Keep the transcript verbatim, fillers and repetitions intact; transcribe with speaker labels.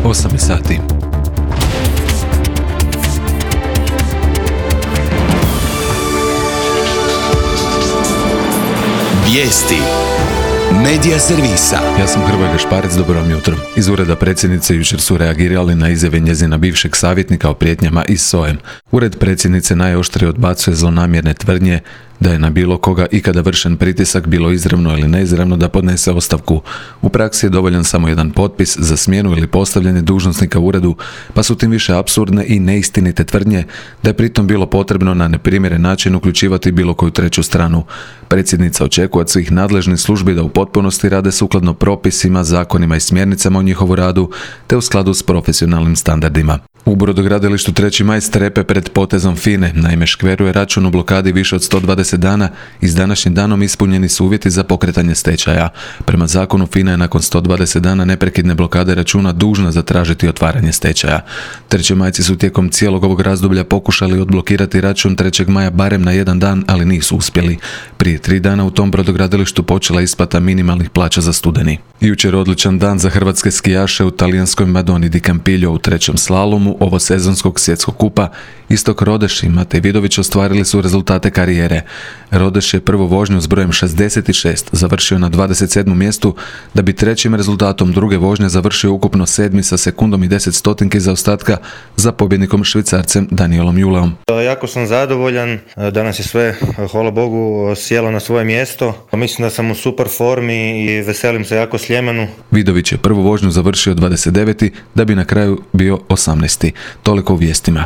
Speaker 1: osam je sati.
Speaker 2: Vijesti Medija servisa.
Speaker 1: Ja sam Hrvoje Gašparec, dobro vam jutro. Iz ureda predsjednice jučer su reagirali na izjave njezina bivšeg savjetnika o prijetnjama iz S O E. Ured predsjednice najoštrije odbacuje zlonamjerne tvrdnje da je na bilo koga ikada vršen pritisak, bilo izravno ili neizravno, da podnese ostavku. U praksi je dovoljan samo jedan potpis za smjenu ili postavljanje dužnosnika u uredu, pa su tim više apsurdne i neistinite tvrdnje da je pritom bilo potrebno na neprimjeren način uključivati bilo koju treću stranu. Predsjednica očekuje od svih nadležnih službi da u potpunosti rade sukladno propisima, zakonima i smjernicama o njihovu radu, te u skladu s profesionalnim standardima. U brodogradilištu treći maj strepe pred potezom F I N E. Naime, škveru je račun u blokadi više od sto dvadeset dana i s današnjim danom ispunjeni su uvjeti za pokretanje stečaja. Prema zakonu F I N A je nakon sto dvadeset dana neprekidne blokade računa dužna zatražiti otvaranje stečaja. Trećemajci su tijekom cijelog ovog razdoblja pokušali odblokirati račun trećeg maja barem na jedan dan, ali nisu uspjeli. Prije tri dana u tom brodogradilištu počela isplata minimalnih plaća za studeni. Jučer odličan dan za hrvatske skijaše u talijanskoj Madoni di Campiglio u trećem slalomu ovo sezonskog svjetskog kupa. Istok Rodeš i Matej Vidović ostvarili su rezultate karijere. Rodeš je prvu vožnju s brojem šezdeset šest završio na dvadeset sedmom mjestu, da bi trećim rezultatom druge vožnje završio ukupno sedmi sa sekundom i deset stotinki zaostatka za pobjednikom Švicarcem Danielom Juleom.
Speaker 3: Jako sam zadovoljan, danas je sve, hvala Bogu, sjelo na svoje mjesto. Mislim da sam u super formi i veselim se jako Sljemenu.
Speaker 1: Vidović je prvu vožnju završio dvadeset deveti da bi na kraju bio osamnaesti. Toliko u vijestima.